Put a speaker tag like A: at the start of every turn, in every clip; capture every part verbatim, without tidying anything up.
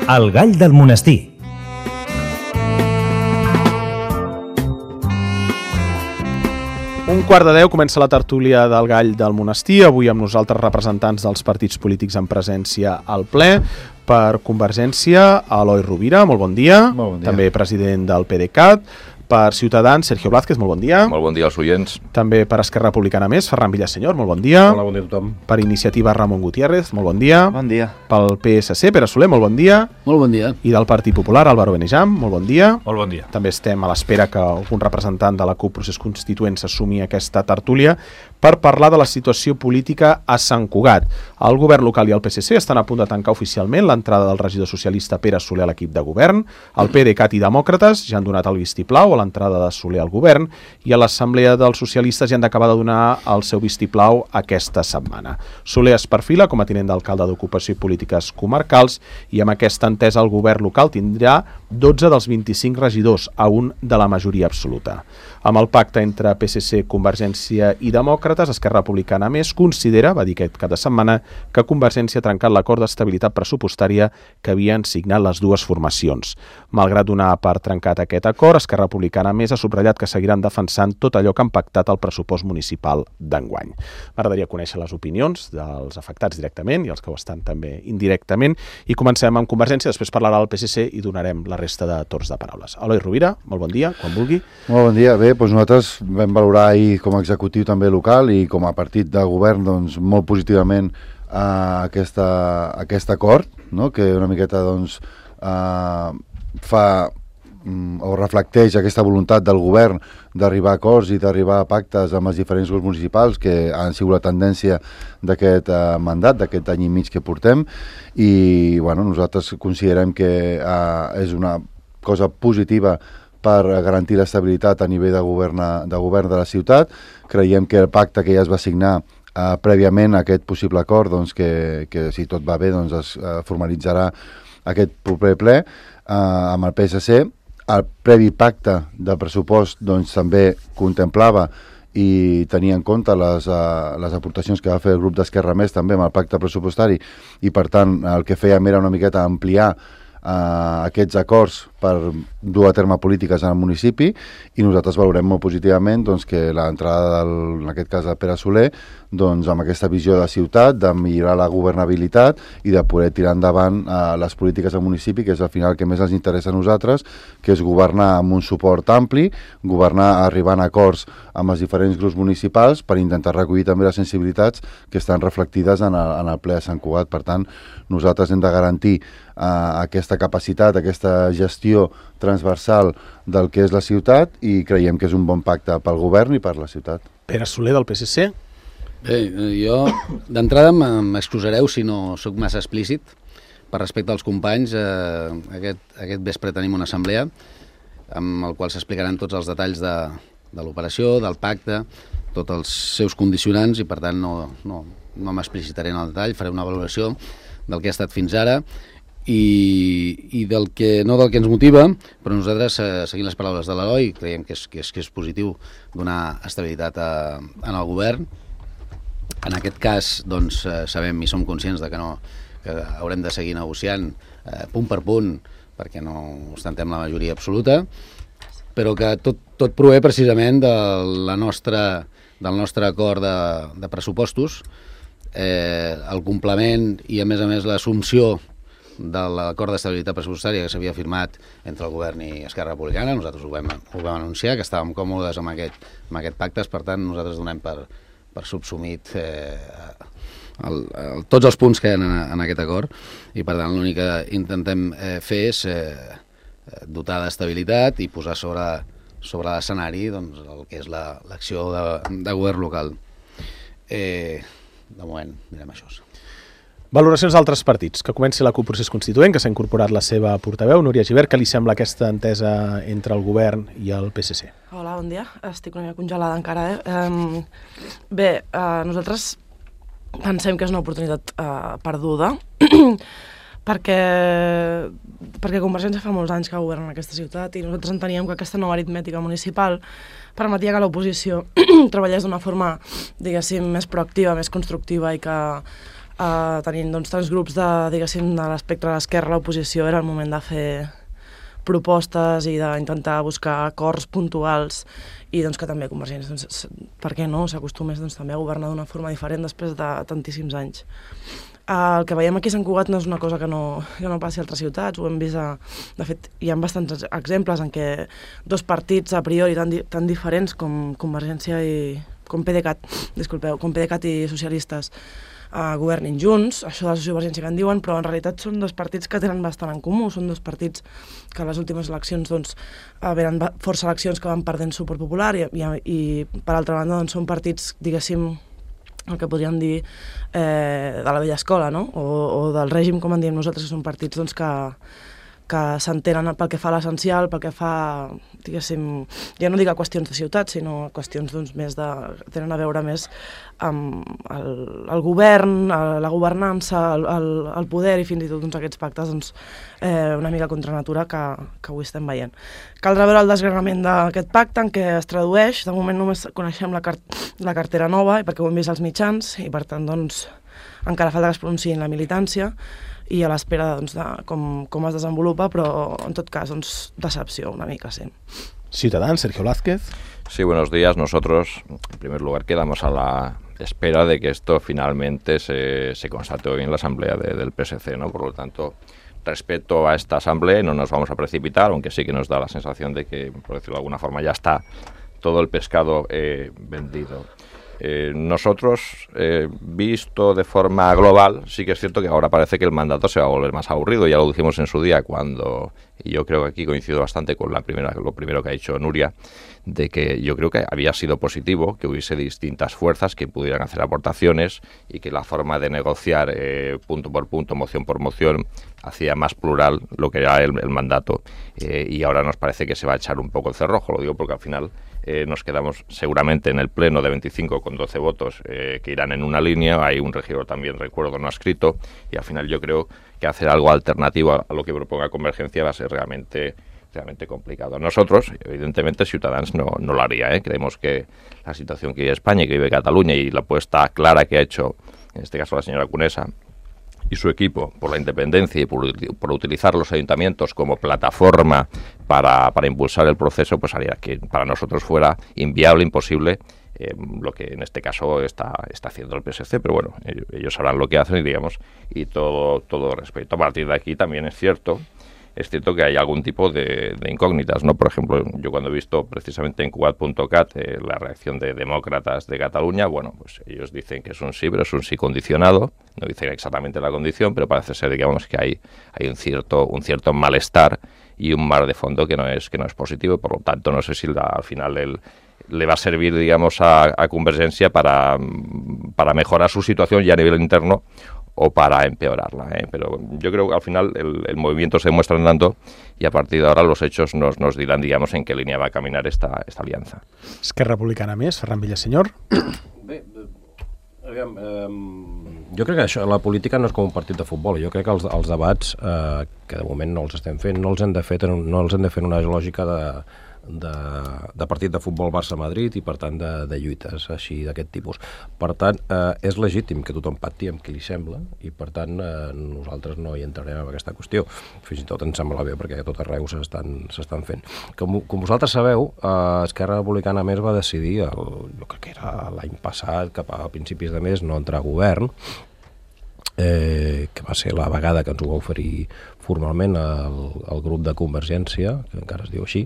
A: El gall del monestir.
B: Un quart de deu comença la tertúlia del gall del monestir, avui amb nosaltres representants dels partits polítics en presència al ple. Per Convergència, Eloi Rovira, molt bon dia.
C: Molt bon dia.
B: També president del PDeCAT. Per Ciutadans, Sergio Blázquez, molt bon dia.
D: Molt bon dia als oients.
B: També per Esquerra Republicana Més, Ferran Villasenyor, molt bon dia.
C: Hola, bon dia a tothom.
B: Per Iniciativa, Ramon Gutiérrez, molt bon dia.
E: Bon dia.
B: Pel P S C, Pere Soler, molt bon dia.
E: Molt bon dia.
B: I del Partit Popular, Álvaro Benejam, molt bon dia.
C: Molt bon dia.
B: També estem a l'espera que algun representant de la CUP Procés Constituent s'assumi aquesta tertúlia per parlar de la situació política a Sant Cugat. El govern local i el P S C estan a punt de tancar oficialment l'entrada del regidor socialista Pere Soler a l'equip de govern. El PDeCAT i Demòcrates ja han donat el vistiplau a l'entrada de Soler al govern i a l'Assemblea dels Socialistes ja han d'acabar de donar el seu vistiplau aquesta setmana. Soler es perfila com a tinent d'alcalde d'Ocupació i Polítiques Comarcals i amb aquesta entesa el govern local tindrà dotze dels vint-i-cinc regidors, a un de la majoria absoluta. Amb el pacte entre P S C, Convergència i Demòcrates, Esquerra Republicana Més considera, va dir aquest cap de setmana, que Convergència ha trencat l'acord d'estabilitat pressupostària que havien signat les dues formacions. Malgrat donar per trencat aquest acord, Esquerra Republicana Més ha subratllat que seguiran defensant tot allò que han pactat al pressupost municipal d'enguany. M'agradaria conèixer les opinions dels afectats directament i els que ho estan també indirectament i comencem amb Convergència, després parlarà el P S C i donarem la resta de torns de paraules. Eloi Rovira, molt bon dia, quan vulgui.
C: Molt bon dia. Bé, doncs nosaltres vam valorar ahir com a executiu també local i com a partit de govern doncs, molt positivament eh, aquesta, aquest acord, no? Que una miqueta doncs, eh, fa o reflecteix aquesta voluntat del govern d'arribar a acords i d'arribar a pactes amb els diferents grups municipals que han sigut la tendència d'aquest eh, mandat, d'aquest any i mig que portem i bueno, nosaltres considerem que eh, és una cosa positiva per garantir l'estabilitat a nivell de govern, de govern de la ciutat. Creiem que el pacte que ja es va signar eh, prèviament a aquest possible acord, doncs que, que si tot va bé doncs es eh, formalitzarà aquest proper ple eh, amb el P S C. El previ pacte del pressupost doncs, també contemplava i tenia en compte les, uh, les aportacions que va fer el grup d'Esquerra Més també amb el pacte pressupostari i per tant el que fèiem era una miqueta ampliar uh, aquests acords per dur a terme polítiques en el municipi i nosaltres valorem molt positivament doncs, que l'entrada, del, en aquest cas de Pere Soler, doncs, amb aquesta visió de ciutat, de millorar la governabilitat i de poder tirar endavant eh, les polítiques del municipi, que és al final el que més ens interessa a nosaltres, que és governar amb un suport ampli, governar arribant a acords amb els diferents grups municipals per intentar recollir també les sensibilitats que estan reflectides en el, en el ple de Sant Cugat. Per tant, nosaltres hem de garantir eh, aquesta capacitat, aquesta gestió transversal del que és la ciutat i creiem que és un bon pacte pel govern i per la ciutat.
B: Pere Soler del P S C.
E: Bé, jo d'entrada m'excusareu si no sóc massa explícit per respecte als companys. Eh, aquest, aquest vespre tenim una assemblea amb el qual s'explicaran tots els detalls de, de l'operació, del pacte, tots els seus condicionants i per tant no, no, no m'explicitaré en el detall, faré una valoració del que ha estat fins ara i, i del que, no del que ens motiva, però nosaltres, eh, seguint les paraules de l'Eloi, creiem que és, que és, que és positiu donar estabilitat a, en el govern. En aquest cas, doncs, eh, sabem i som conscients de que, no, que haurem de seguir negociant eh, punt per punt perquè no ostentem la majoria absoluta, però que tot, tot prové precisament de la nostra, del nostre acord de, de pressupostos, eh, el complement i, a més a més, l'assumpció de l'acord d'estabilitat pressupostària que s'havia firmat entre el govern i Esquerra Republicana. Nosaltres ho vam, ho vam anunciar, que estàvem còmodes amb aquest, amb aquest pacte, per tant nosaltres donem per, per subsumit eh, el, el, tots els punts que hi ha en, en aquest acord i per tant l'únic que intentem eh, fer és eh, dotar d'estabilitat i posar sobre, sobre l'escenari doncs, el que és l'acció la, de, de govern local. Eh, de moment mirem això.
B: Valoracions d'altres partits, que comenci la CUP Procés Constituent, que s'ha incorporat la seva portaveu, Núria Gibert. Què li sembla aquesta entesa entre el govern i el P S C?
F: Hola, bon dia. Estic una mica congelada encara. Eh? Um, bé, uh, nosaltres pensem que és una oportunitat uh, perduda perquè, perquè Convergència fa molts anys que governa en aquesta ciutat i nosaltres enteníem que aquesta nova aritmètica municipal permetia que l'oposició treballés d'una forma, diguéssim, més proactiva, més constructiva i que uh, tenint doncs, tants grups de, diguéssim, de l'espectre de l'esquerra a l'oposició, era el moment de fer propostes i d'intentar buscar acords puntuals i doncs, que també Convergència, doncs, per què no, s'acostumés doncs, també a governar d'una forma diferent després de tantíssims anys. Uh, el que veiem aquí a Sant Cugat no és una cosa que no, que no passi a altres ciutats, ho hem vist, a, de fet hi ha bastants exemples en què dos partits a priori tan, di, tan diferents com Convergència i com PDeCAT, disculpeu, com PDeCAT i socialistes Uh, governin junts, això de la sociovergència que en diuen, però en realitat són dos partits que tenen bastant en comú, són dos partits que a les últimes eleccions doncs, uh, venen força eleccions que van perdent suport popular i, i, i per altra banda doncs, són partits, diguéssim, el que podríem dir eh, de la vella escola, no? o, o del règim, com en diem nosaltres, que són partits doncs, que, que s'entenen pel que fa a l'essencial, pel que fa, diguéssim, ja no dic a qüestions de ciutat, sinó a qüestions doncs, més de... tenen a veure més amb el, el govern, la governança, el, el, el poder i fins i tot doncs, aquests pactes doncs, eh, una mica contra natura que, que avui estem veient. Caldrà veure el desgranament d'aquest pacte en què es tradueix, de moment només coneixem la, car la cartera nova, perquè ho hem vist als mitjans i per tant doncs, encara falta que es pronunciïn la militància i a l'espera doncs, de com, com es desenvolupa, però en tot cas doncs, decepció una mica, sí.
B: Ciudadans, Sergio Blázquez.
A: Sí, buenos días. Nosotros, en primer lugar, quedamos a la espera de que esto finalmente se, se constate hoy en la asamblea de, del P S C, ¿no? Por lo tanto, respecto a esta asamblea, no nos vamos a precipitar, aunque sí que nos da la sensación de que, por decirlo de alguna forma, ya está todo el pescado eh, vendido. Eh, nosotros, eh, visto de forma global, sí que es cierto que ahora parece que el mandato se va a volver más aburrido. Ya lo dijimos en su día cuando, y yo creo que aquí coincido bastante con la primera, lo primero que ha dicho Nuria, de que yo creo que había sido positivo que hubiese distintas fuerzas que pudieran hacer aportaciones y que la forma de negociar eh, punto por punto, moción por moción, hacía más plural lo que era el, el mandato. Eh, y ahora nos parece que se va a echar un poco el cerrojo, lo digo porque al final eh, nos quedamos seguramente en el pleno de veinticinco con doce votos eh, que irán en una línea. Hay un regidor también, recuerdo, no ha escrito, y al final yo creo que hacer algo alternativo a, a lo que proponga Convergencia va a ser realmente realmente complicado. Nosotros, evidentemente, Ciutadans no, no lo haría, ¿eh? Creemos que la situación que vive España y que vive Cataluña y la apuesta clara que ha hecho, en este caso la señora Conesa y su equipo, por la independencia y por, por utilizar los ayuntamientos como plataforma para, para impulsar el proceso, pues haría que para nosotros fuera inviable, imposible, eh, lo que en este caso está, está haciendo el P S C, pero bueno, ellos, ellos sabrán lo que hacen y digamos, y todo, todo respeto. A partir de aquí también es cierto Es cierto que hay algún tipo de, de incógnitas, ¿no? Por ejemplo, yo cuando he visto precisamente en Cugat punto cat eh, la reacción de demócratas de Cataluña, bueno, pues ellos dicen que es un sí, pero es un sí condicionado, no dicen exactamente la condición, pero parece ser, digamos, que hay, hay un cierto un cierto malestar y un mar de fondo que no es que no es positivo, y por lo tanto no sé si la, al final el le va a servir, digamos, a, a Convergencia para, para mejorar su situación ya a nivel interno o para empeorarla, ¿eh? Pero yo creo que al final el, el movimiento se demuestra andando y a partir de ahora los hechos nos, nos dirán, digamos, en qué línea va a caminar esta, esta alianza.
B: Esquerra Republicana més, Ferran Villasenyor.
D: Bé, aviam, eh, jo crec que això, la política no és com un partit de futbol. Jo crec que els, els debats, eh, que de moment no els estem fent, no els hem de fer, no els hem de fer en una lògica de De, de partit de futbol Barça-Madrid i per tant de, de lluites així d'aquest tipus. Per tant, eh, és legítim que tothom pacti amb qui li sembla i per tant eh, nosaltres no hi entrarem en aquesta qüestió. Fins i tot ens sembla bé perquè a tot arreu s'estan s'estan fent. Com, com vosaltres sabeu, eh, Esquerra Republicana més va decidir, el, jo crec que era l'any passat, cap a principis de mes, no entrar a govern, Eh, que va ser la vegada que ens ho va oferir formalment el, el grup de Convergència, que encara es diu així,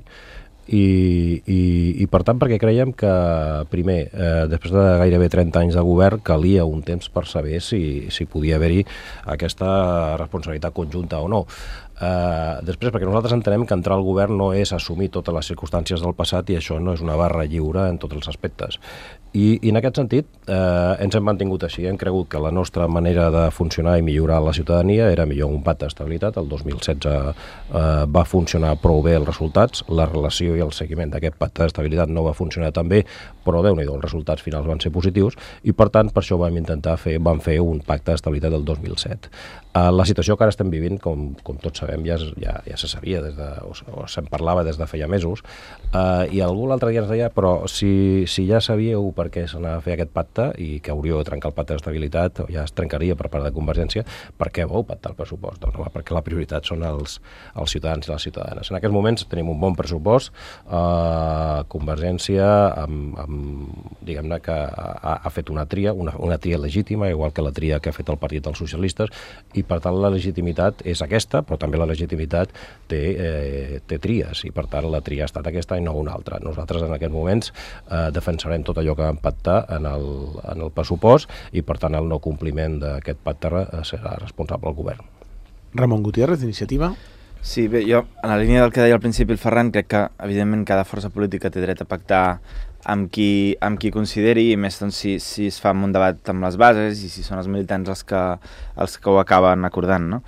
D: i, i, i per tant perquè creiem que primer, eh, després de gairebé trenta anys de govern, calia un temps per saber si, si podia haver-hi aquesta responsabilitat conjunta o no. Uh, després, perquè nosaltres entenem que entrar al govern no és assumir totes les circumstàncies del passat i això no és una barra lliure en tots els aspectes. I, i en aquest sentit eh, ens hem mantingut així, hem cregut que la nostra manera de funcionar i millorar la ciutadania era millor un pacte d'estabilitat. El dos mil setze eh, va funcionar prou bé els resultats, la relació i el seguiment d'aquest pacte d'estabilitat no va funcionar tan bé, però Déu-n'hi-do, els resultats finals van ser positius i per tant per això vam intentar fer, vam fer un pacte d'estabilitat del dos mil set. Eh, la situació que ara estem vivint, com, com tots sabem, sabem ja, ja, ja se sabia, des de, o, o se'n parlava des de feia mesos, uh, i algú l'altre dia ens deia, però si, si ja sabíeu per què s'anava a fer aquest pacte i que hauríeu de trencar el pacte d'estabilitat, ja es trencaria per part de Convergència, per què vau pactar el pressupost? Doncs home, perquè la prioritat són els, els ciutadans i les ciutadanes. En aquests moments tenim un bon pressupost, uh, Convergència amb, amb, diguem-ne que ha, ha fet una tria, una, una tria legítima, igual que la tria que ha fet el Partit dels Socialistes, i per tant la legitimitat és aquesta, però també la legitimitat té, eh, té tries, i per tant la tria ha estat aquesta i no una altra. Nosaltres en aquests moments eh, defensarem tot allò que vam pactar en el, en el pressupost, i per tant el no compliment d'aquest pacte eh, serà responsable el govern.
B: Ramon Gutiérrez, d'Iniciativa.
G: Sí, bé, jo, en la línia del que deia al principi el Ferran, crec que, evidentment, cada força política té dret a pactar amb qui, amb qui consideri, i més doncs, si, si es fa un debat amb les bases i si són els militants els que, els que ho acaben acordant, no?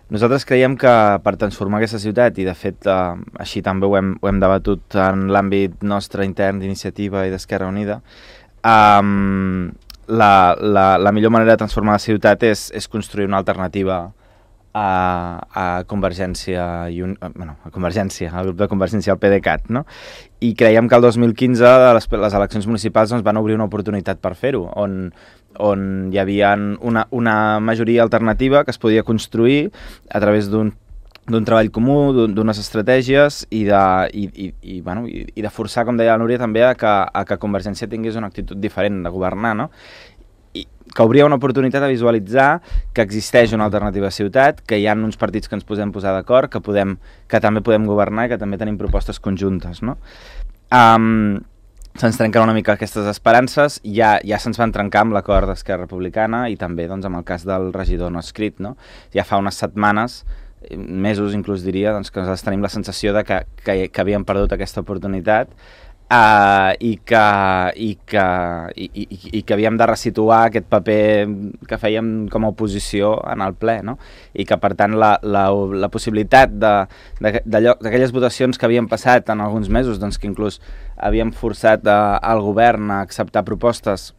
G: Nosaltres creiem que per transformar aquesta ciutat, i de fet eh, així també ho hem, ho hem debatut en l'àmbit nostre intern d'Iniciativa i d'Esquerra Unida, eh, la, la, la millor manera de transformar la ciutat és, és construir una alternativa a, a Convergència i un, bueno, a Convergència, al grup de Convergència, al PDeCAT, no? I creiem que el dos mil quinze les, les eleccions municipals doncs, van obrir una oportunitat per fer-ho, on, on hi havia una, una majoria alternativa que es podia construir a través d'un d'un treball comú, d'unes estratègies i de, i, i, i, bueno, i, i de forçar, com deia la Núria, també a que, a que Convergència tingués una actitud diferent de governar, no? I que obria una oportunitat a visualitzar que existeix una alternativa ciutat, que hi ha uns partits que ens podem posar d'acord, que, podem, que també podem governar i que també tenim propostes conjuntes, no? Um, se'ns trenquen una mica aquestes esperances, ja, ja se'ns van trencar amb l'acord d'Esquerra Republicana i també doncs, amb el cas del regidor no escrit, no? Ja fa unes setmanes, mesos inclús diria, doncs, que nosaltres tenim la sensació de que, que, que havíem perdut aquesta oportunitat, Uh, i, que, i, que, i, i, i que havíem de resituar aquest paper que fèiem com a oposició en el ple, no? I que per tant la, la, la possibilitat d'aquelles votacions que havien passat en alguns mesos, doncs que inclús havíem forçat uh, el govern a acceptar propostes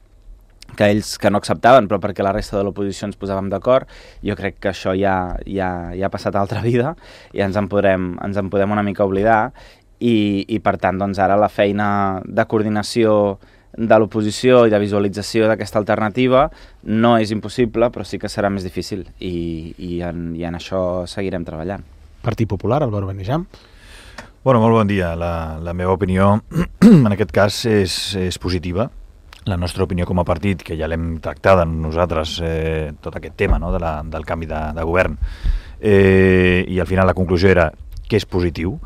G: que ells que no acceptaven, però perquè la resta de l'oposició ens posàvem d'acord, jo crec que això ja, ja, ja ha passat a altra vida i ens en podrem, ens en podem una mica oblidar. I, i per tant doncs ara la feina de coordinació de l'oposició i de visualització d'aquesta alternativa no és impossible, però sí que serà més difícil i, i, en, i en això seguirem treballant.
B: Partit Popular, Álvaro Benejam.
H: Bueno, molt bon dia. La, la meva opinió en aquest cas és, és positiva. La nostra opinió com a partit, que ja l'hem tractat en nosaltres, eh, tot aquest tema, no?, de la, del canvi de, de govern, eh, i al final la conclusió era que és positiu,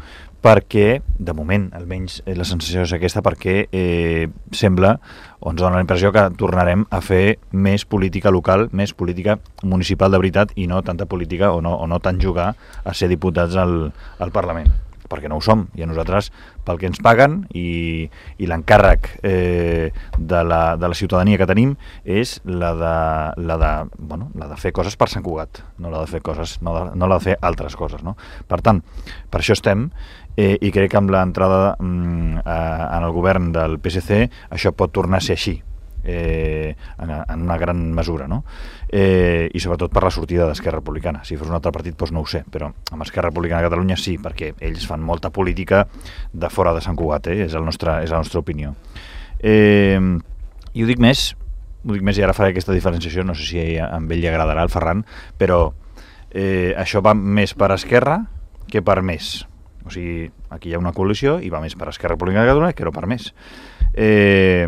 H: perquè, de moment, almenys la sensació és aquesta, perquè eh, sembla, o ens dona la impressió que tornarem a fer més política local, més política municipal de veritat, i no tanta política, o no, o no tant jugar a ser diputats al, al Parlament, perquè no ho som, i a nosaltres, pel que ens paguen, i, i l'encàrrec eh, de, la, de la ciutadania que tenim és la de, la de, bueno, la de fer coses per Sant Cugat, no la de fer coses, no, de, no la de fer altres coses, no? Per tant, per això estem, Eh, i crec que amb l'entrada mm, en el govern del P S C això pot tornar a ser així, eh, en, en una gran mesura, no? Eh, i sobretot per la sortida d'Esquerra Republicana. Si fos un altre partit doncs no ho sé, però amb Esquerra Republicana de Catalunya sí, perquè ells fan molta política de fora de Sant Cugat, eh? és, el nostre, és la nostra opinió. Eh, i ho dic més, ho dic més i ara faré aquesta diferenciació, no sé si a ell li agradarà al Ferran, però eh, això va més per Esquerra que per més. O sigui, aquí hi ha una coalició i va més per Esquerra Republicana de Catalunya que no per més. Eh,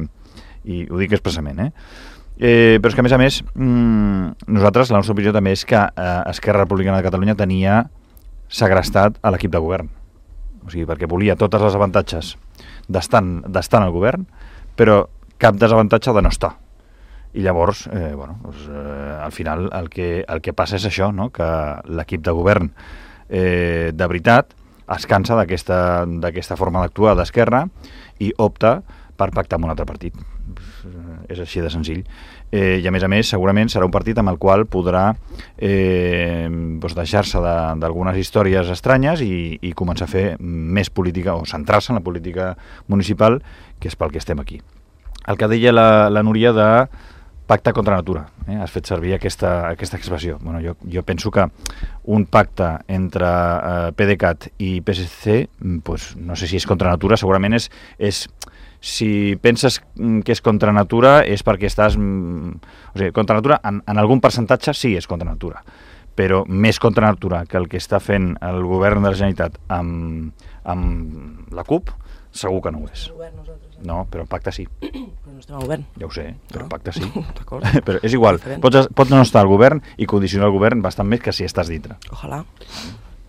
H: I ho dic expressament, eh? eh? Però és que, a més a més, mmm, nosaltres, la nostra opinió també és que eh, Esquerra Republicana de Catalunya tenia segrestat a l'equip de govern. O sigui, perquè volia tots els avantatges d'estar al govern, però cap desavantatge de no estar. I llavors, eh, bueno, doncs, eh, al final el que, el que passa és això, no?, que l'equip de govern eh, de veritat es cansa d'aquesta forma d'actuar d'Esquerra i opta per pactar amb un altre partit. És així de senzill. Eh, I a més a més, segurament serà un partit amb el qual podrà eh, doncs deixar-se d'algunes històries estranyes i, i començar a fer més política o centrar-se en la política municipal, que és pel que estem aquí. El que deia la, la Núria de pacte contra natura, eh? Has fet servir aquesta, aquesta expressió. Bueno, jo, jo penso que un pacte entre eh, PDeCAT i P S C, pues, no sé si és contra natura, segurament és, és si penses que és contra natura és perquè estàs... O sigui, contra natura, en, en algun percentatge sí és contra natura, però més contra natura que el que està fent el govern de la Generalitat amb, amb la CUP, segur que no ho és. No, però pacte sí.
F: Però no estem al govern.
H: Ja ho sé, però
F: Ah.
H: pacte sí.
F: D'acord.
H: Però és igual,
F: Diferent.
H: pots, pots no estar al govern i condicionar el govern bastant més que si estàs dintre.
F: Ojalà.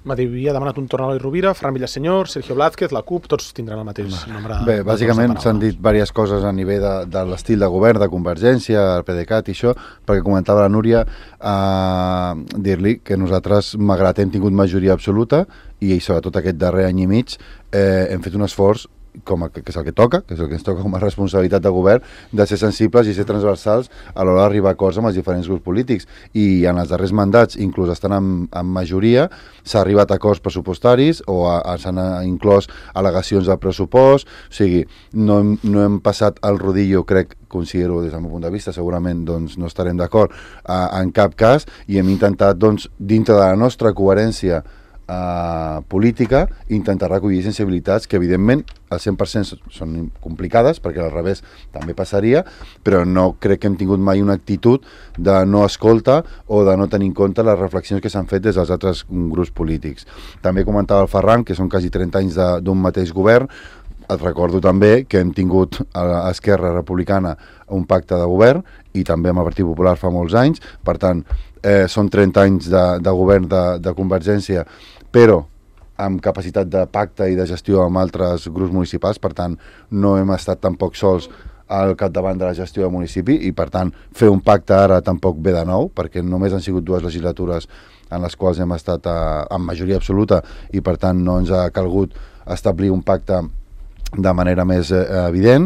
B: M'havia demanat un torn a l'Eloi Rovira, Ferran Villasenyor, Sergio Blázquez, la CUP, tots tindran el mateix nombre.
C: Bé,
B: de
C: bàsicament
B: torns de
C: s'han
B: paraula.
C: dit diverses coses a nivell de, de l'estil de govern, de Convergència, el PDeCAT i això, perquè comentava la Núria, eh, dir-li que nosaltres, malgrat hem tingut majoria absoluta, i sobretot aquest darrer any i mig, eh, hem fet un esforç com a, que és el que toca, que és el que ens toca com a responsabilitat de govern, de ser sensibles i ser transversals a l'hora d'arribar a acords amb els diferents grups polítics. I en els darrers mandats, inclús estan en, en majoria, s'ha arribat a acords pressupostaris o a, a, s'han inclòs al·legacions del pressupost, o sigui, no hem, no hem passat el rodillo, crec, considero des del meu punt de vista, segurament doncs, no estarem d'acord uh, en cap cas, i hem intentat, doncs, dintre de la nostra coherència Uh, política, intentar recollir sensibilitats que evidentment al cent per cent són complicades, perquè al revés també passaria, però no crec que hem tingut mai una actitud de no escolta o de no tenir en compte les reflexions que s'han fet des dels altres grups polítics. També comentava el Ferran que són quasi trenta anys de, d'un mateix govern. Et recordo també que hem tingut a Esquerra Republicana un pacte de govern i també amb el Partit Popular fa molts anys, per tant eh, són trenta anys de, de govern de, de Convergència, però amb capacitat de pacte i de gestió amb altres grups municipals, per tant no hem estat tampoc sols al capdavant de la gestió del municipi i per tant fer un pacte ara tampoc ve de nou, perquè només han sigut dues legislatures en les quals hem estat a, amb majoria absoluta i per tant no ens ha calgut establir un pacte de manera més eh, evident.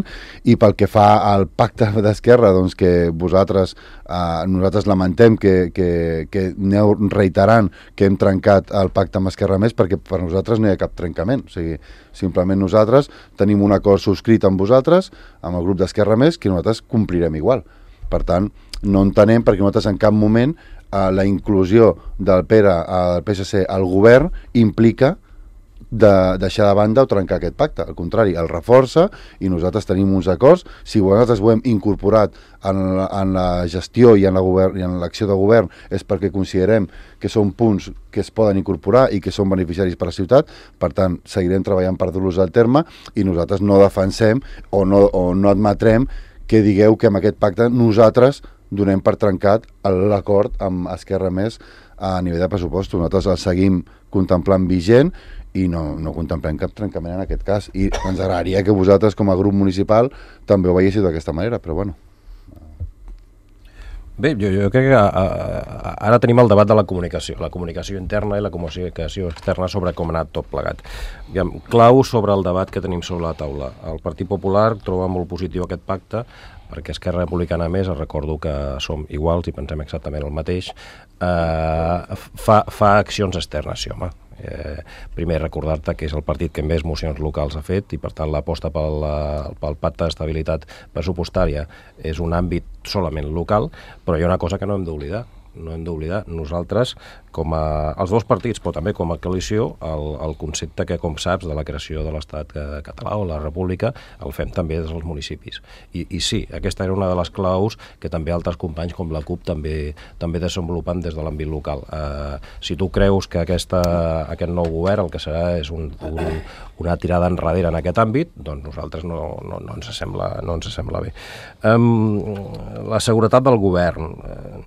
C: I pel que fa al pacte d'Esquerra, doncs que vosaltres, eh, nosaltres lamentem que, que, que aneu reiterant que hem trencat el pacte amb Esquerra Més, perquè per nosaltres no hi ha cap trencament, o sigui, simplement nosaltres tenim un acord subscrit amb vosaltres, amb el grup d'Esquerra Més, que nosaltres complirem igual. Per tant, no entenem perquè nosaltres en cap moment eh, la inclusió del Pere al P S C al govern implica de deixar de banda o trencar aquest pacte. Al contrari, el reforça i nosaltres tenim uns acords. Si nosaltres ho hem incorporat en la, en la gestió i en, la govern, i en l'acció de govern és perquè considerem que són punts que es poden incorporar i que són beneficiaris per a la ciutat. Per tant, seguirem treballant per dur-los al terme i nosaltres no defensem o no, o no admetrem que digueu que amb aquest pacte nosaltres donem per trencat l'acord amb Esquerra Més a nivell de pressupostos. Nosaltres el seguim contemplant vigent i no, no contemplem cap trencament en aquest cas. I ens agradaria que vosaltres, com a grup municipal, també ho veiéssiu d'aquesta manera, però bueno.
D: Bé, jo, jo crec que a, a, ara tenim el debat de la comunicació, la comunicació interna i la comunicació externa sobre com ha anat tot plegat. Diguem, clau sobre el debat que tenim sobre la taula. El Partit Popular troba molt positiu aquest pacte, perquè Esquerra Republicana Més, recordo que som iguals i pensem exactament el mateix, eh, fa, fa accions externes, sí, home. Eh, primer recordar-te que és el partit que més mocions locals ha fet i per tant l'aposta pel, pel pacte d'estabilitat pressupostària és un àmbit solament local, però hi ha una cosa que no hem d'oblidar. No hem d'oblidar nosaltres, com a, els dos partits, però també com a coalició, el, el concepte que, com saps, de la creació de l'Estat català o la República, el fem també des dels municipis. I, i sí, aquesta era una de les claus que també altres companys com la CUP també, també desenvolupen des de l'àmbit local. Eh, si tu creus que aquesta, aquest nou govern el que serà és un, un, una tirada enrere en aquest àmbit, doncs nosaltres no, no, no, ens, sembla, no ens sembla bé. Um, la seguretat del govern... Eh,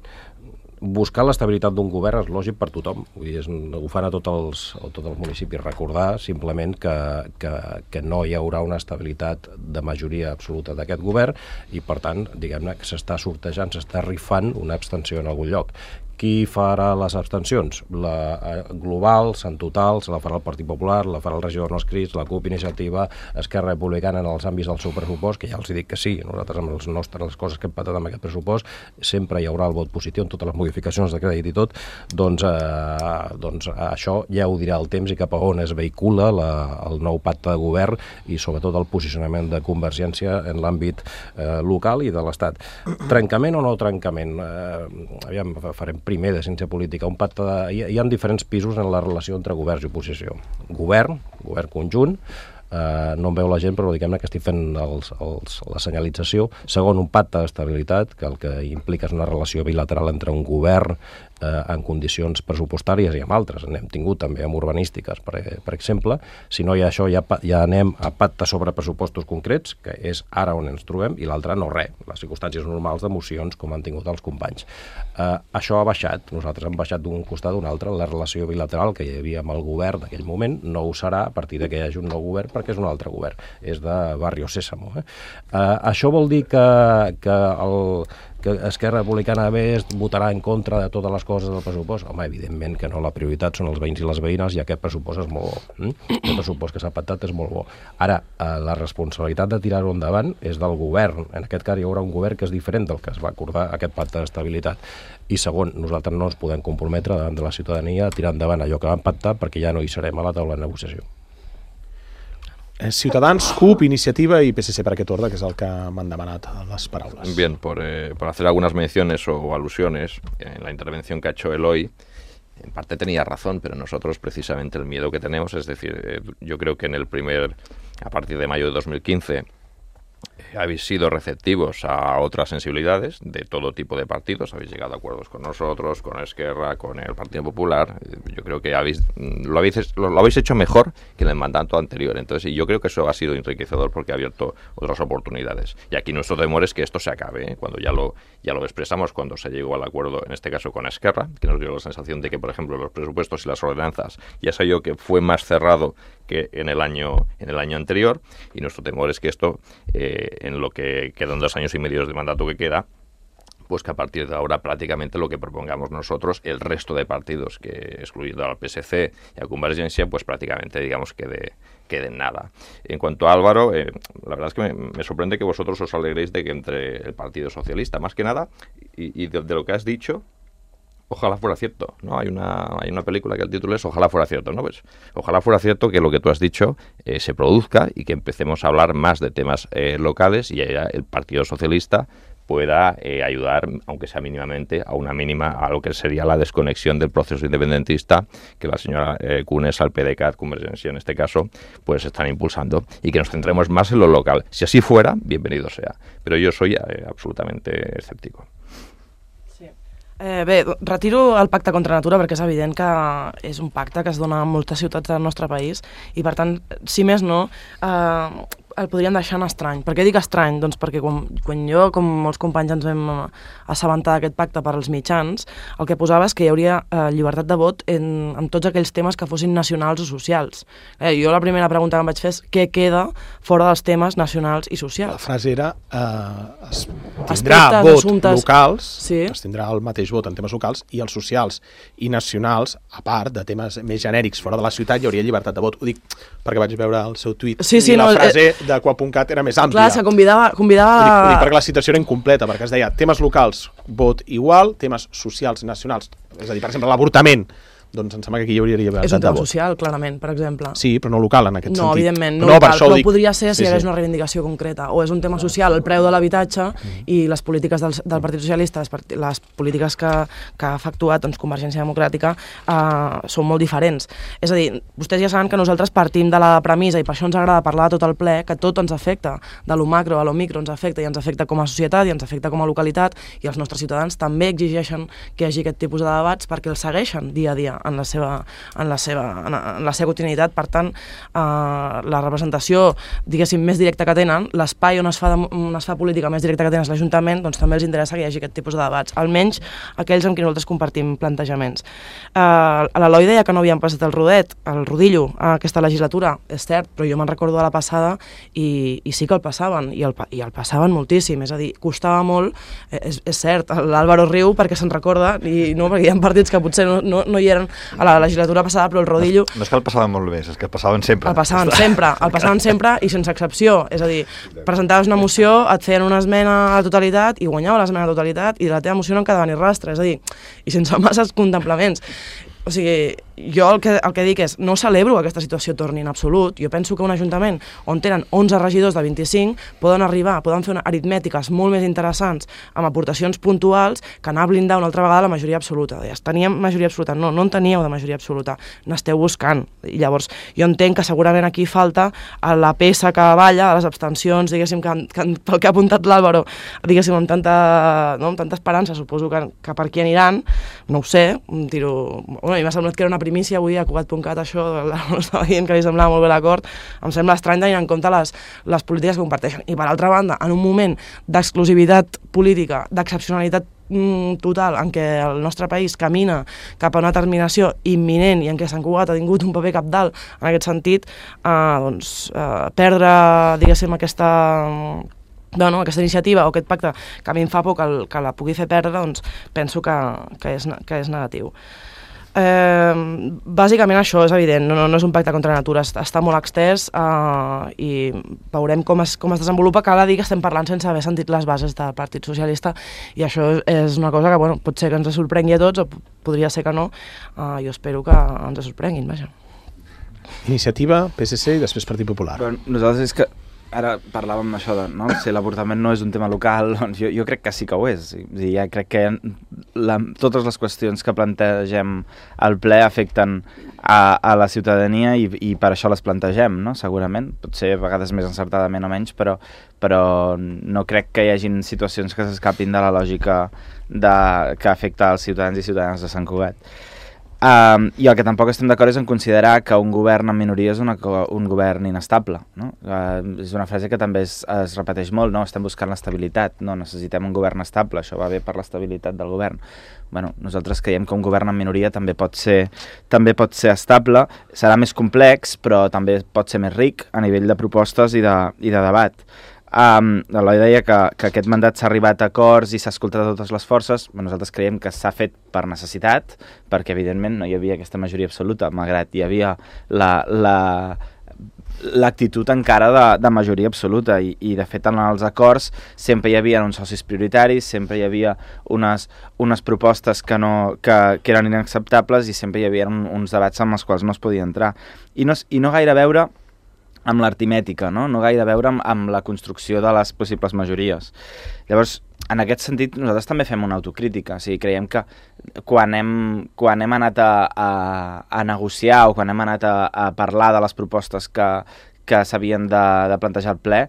D: buscar l'estabilitat d'un govern és lògic per tothom, vull dir, és, ho fan a tots els, a tots els municipis. Recordar simplement que, que, que no hi haurà una estabilitat de majoria absoluta d'aquest govern i per tant, diguem-ne, que s'està sortejant, s'està rifant una abstenció en algun lloc. Qui farà les abstencions? La globals, en totals, la farà el Partit Popular, la farà el regidor no escrits, la CUP, Iniciativa, Esquerra Republicana en els àmbits del seu pressupost, que ja els dic que sí, nosaltres amb els nostres, les coses que hem patat amb aquest pressupost, sempre hi haurà el vot positiu en totes les modificacions de crèdit i tot, doncs, eh, doncs això ja ho dirà el temps i cap a on es vehicula la, el nou pacte de govern i sobretot el posicionament de Convergència en l'àmbit eh, local i de l'Estat. Trencament o no trencament? Eh, aviam, farem primer de ciència política, un pacte de... Hi, hi ha diferents pisos en la relació entre governs i oposició. Govern, govern conjunt, eh, no em veu la gent, però diguem-ne que estic fent els, els, la senyalització. Segon, un pacte d'estabilitat, que el que implica és una relació bilateral entre un govern eh, en condicions pressupostàries i amb altres. N'hem tingut també amb urbanístiques, per, per exemple. Si no hi ha això, ja, ja anem a pacte sobre pressupostos concrets, que és ara on ens trobem, i l'altre no res, les circumstàncies normals d'emocions com han tingut els companys. Eh, això ha baixat, nosaltres hem baixat d'un costat a un altre, la relació bilateral que hi havia amb el govern d'aquell moment no ho serà a partir de que hi hagi un nou govern, perquè és un altre govern, és de Barrio Sésamo. Eh? Eh, això vol dir que, que, el, que Esquerra Republicana a més votarà en contra de totes les coses del pressupost? Home, evidentment que no, la prioritat són els veïns i les veïnes i aquest pressupost és molt bo. Eh? El pressupost que s'ha pactat és molt bo. Ara, eh, la responsabilitat de tirar-ho endavant és del govern. En aquest cas hi haurà un govern que és diferent del que es va acordar aquest pacte d'estabilitat. I segon, nosaltres no ens podem comprometre davant de la ciutadania a tirar endavant allò que vam pactar perquè ja no hi serem a la taula de negociació.
B: Ciutadans, CUP, Iniciativa y P S C para aquest ordre, que és el que m'han demanat les paraules.
A: Bien, por, eh, por hacer algunas menciones o alusiones en la intervención que ha hecho Eloy, en parte tenía razón, pero nosotros precisamente el miedo que tenemos, es decir, eh, yo creo que en el primer, a partir de mayo de dos mil quince, eh, habéis sido receptivos a otras sensibilidades de todo tipo de partidos, habéis llegado a acuerdos con nosotros, con Esquerra, con el Partido Popular. Yo creo que habéis, lo, habéis, lo, lo habéis hecho mejor que en el mandato anterior. Entonces, y yo creo que eso ha sido enriquecedor porque ha abierto otras oportunidades. Y aquí nuestro temor es que esto se acabe, ¿eh? Cuando ya lo, ya lo expresamos, cuando se llegó al acuerdo, en este caso con Esquerra, que nos dio la sensación de que, por ejemplo, los presupuestos y las ordenanzas, ya sé yo que fue más cerrado que en el año, en el año anterior, y nuestro temor es que esto, eh, en lo que quedan dos años y medio de mandato que queda, pues que a partir de ahora prácticamente lo que propongamos nosotros, el resto de partidos, que excluyendo al P S C y a Convergencia, pues prácticamente digamos que de, que de nada. En cuanto a Álvaro, eh, la verdad es que me, me sorprende que vosotros os alegréis de que entre el Partido Socialista, más que nada, y, y de, de lo que has dicho, ojalá fuera cierto, ¿no? Hay una, hay una película que el título es Ojalá fuera cierto, ¿no? Pues ojalá fuera cierto que lo que tú has dicho eh, se produzca y que empecemos a hablar más de temas eh, locales y ya el Partido Socialista pueda eh, ayudar, aunque sea mínimamente, a una mínima, a lo que sería la desconexión del proceso independentista que la señora eh, Cunes, al P D C A T, Convergencia en este caso, pues están impulsando, y que nos centremos más en lo local. Si así fuera, bienvenido sea. Pero yo soy eh, absolutamente escéptico.
F: Eh, bé, retiro el pacte contra natura perquè és evident que és un pacte que es dona a moltes ciutats del nostre país i, per tant, si més no, eh, el podríem deixar en estrany. Per què dic estrany? Doncs perquè quan, quan jo, com molts companys, ens vam assabentar d'aquest pacte per als mitjans, el que posava és que hi hauria eh, llibertat de vot en, en tots aquells temes que fossin nacionals o socials. Eh, jo la primera pregunta que em vaig fer és què queda fora dels temes nacionals i socials.
B: La frase era eh, es tindrà Aspectes, vot assumptes... locals, sí. Es tindrà el mateix vot en temes locals, i els socials i nacionals, a part de temes més genèrics fora de la ciutat, hi hauria llibertat de vot. Ho dic perquè vaig veure el seu tuit
F: sí, sí,
B: i la
F: no,
B: frase
F: eh...
B: de qua punt cat era més àmplia.
F: Clar, se convidava... convidava...
B: Ho dic, ho dic perquè la citació era incompleta, perquè es deia temes locals, vot igual, temes socials i nacionals. És a dir, per exemple, l'avortament, doncs em sembla que aquí hi hauria llibertat de vot.
F: És un tema social, clarament, per exemple.
B: Sí, però no local en aquest
F: no,
B: sentit.
F: Evidentment, no,
B: no
F: local, però
B: dic...
F: podria ser si
B: sí,
F: hi hagués
B: sí.
F: una reivindicació concreta. O és un tema social, el preu de l'habitatge mm. i les polítiques del, del Partit Socialista, les, part... les polítiques que, que ha efectuat doncs, Convergència Democràtica eh, són molt diferents. És a dir, vostès ja saben que nosaltres partim de la premissa, i per això ens agrada parlar de tot el ple, que tot ens afecta, de lo macro a lo micro ens afecta, i ens afecta com a societat, i ens afecta com a localitat, i els nostres ciutadans també exigeixen que hi hagi aquest tipus de debats perquè els segueixen dia a dia en la seva, en la seva, en la seva quotidianitat. Per tant, eh, la representació, diguéssim, més directa que tenen, l'espai on es fa, de, on es fa política més directa que tenen és l'Ajuntament, doncs també els interessa que hi hagi aquest tipus de debats, almenys aquells amb qui nosaltres compartim plantejaments. Eh, L'Eloi deia que no havíem passat el rodet, el rodillo, a aquesta legislatura, és cert, però jo me'n recordo de la passada i, i sí que el passaven, i el, i el passaven moltíssim, és a dir, costava molt, eh, és, és cert, l'Àlvaro riu perquè se'n recorda, i no, perquè hi ha partits que potser no, no, no hi eren a la legislatura passada, però el rodillo...
H: No, no és que el passaven molt bé, és que el passaven sempre.
F: El passaven sempre, el passaven sempre i sense excepció, és a dir, presentaves una moció, et feien una esmena a la totalitat i guanyava l'esmena a la totalitat i de la teva moció no en quedava ni rastre, és a dir, i sense masses contemplaments. O sigui, jo el que, el que dic és, no celebro que aquesta situació torni en absolut. Jo penso que un ajuntament on tenen onze regidors de vint-i-cinc poden arribar, poden fer unes aritmètiques molt més interessants amb aportacions puntuals que anar a blindar una altra vegada la majoria absoluta. Deies, teníem majoria absoluta, no, no en teníeu de majoria absoluta, n'esteu buscant. I llavors jo entenc que segurament aquí falta la peça que balla de les abstencions, diguéssim, que, que, pel que ha apuntat l'Àlvaro, diguéssim, amb tanta, no, amb tanta esperança, suposo que, que per aquí aniran, no ho sé, tiro... Bueno, i m'ha semblat que era una primícia avui a Cugat punt cat, això, estava dient que li semblava molt bé l'acord, em sembla estrany tenint en compte les, les polítiques que comparteixen. I per altra banda, en un moment d'exclusivitat política, d'excepcionalitat mm, total, en què el nostre país camina cap a una terminació imminent i en què Sant Cugat ha tingut un paper cabdal en aquest sentit, eh, doncs, eh, perdre, diguéssim, aquesta... Bueno, aquesta iniciativa o aquest pacte que a mi em fa por que, el, que la pugui fer perdre, doncs penso que, que, és, que és negatiu. Eh, bàsicament això és evident, no, no és un pacte contra la natura, està, està molt extès eh, i veurem com es, com es desenvolupa. Cal dir que estem parlant sense haver sentit les bases del Partit Socialista i això és una cosa que bueno, pot ser que ens sorprengui a tots o podria ser que no, eh, jo espero que ens sorprenguin, vaja.
B: Iniciativa, P S C i després Partit Popular.
G: Però nosaltres és que ara parlàvem això de, no? Si l'avortament no és un tema local, doncs jo, jo crec que sí que ho és. I ja crec que la, totes les qüestions que plantegem al ple afecten a, a la ciutadania i, i per això les plantegem, no? Segurament. Potser a vegades més encertadament o menys, però, però no crec que hi hagin situacions que s'escapin de la lògica de, que afecta als ciutadans i ciutadanes de Sant Cugat. Um, I el que tampoc estem d'acord és en considerar que un govern en minoria és una, un govern inestable, no? Uh, és una frase que també es, es repeteix molt, no? Estem buscant l'estabilitat, no? Necessitem un govern estable, això va bé per l'estabilitat del govern. Bueno, nosaltres creiem que un govern en minoria també pot ser, també pot ser estable, serà més complex, però també pot ser més ric a nivell de propostes i de, i de debat. Um, L'Eloi deia que, que aquest mandat s'ha arribat a acords i s'ha escoltat a totes les forces. Nosaltres creiem que s'ha fet per necessitat, perquè evidentment no hi havia aquesta majoria absoluta, malgrat hi havia la, la, l'actitud encara de, de majoria absoluta i, i de fet en els acords sempre hi havia uns socis prioritaris, sempre hi havia unes, unes propostes que, no, que, que eren inacceptables i sempre hi havia un, uns debats amb els quals no es podia entrar. I no, i no gaire a veure amb l'artimètica, no? No gaire a veure amb, amb la construcció de les possibles majories. Llavors, en aquest sentit, nosaltres també fem una autocrítica. O sigui, creiem que quan hem, quan hem anat a, a, a negociar o quan hem anat a, a parlar de les propostes que, que s'havien de, de plantejar al ple,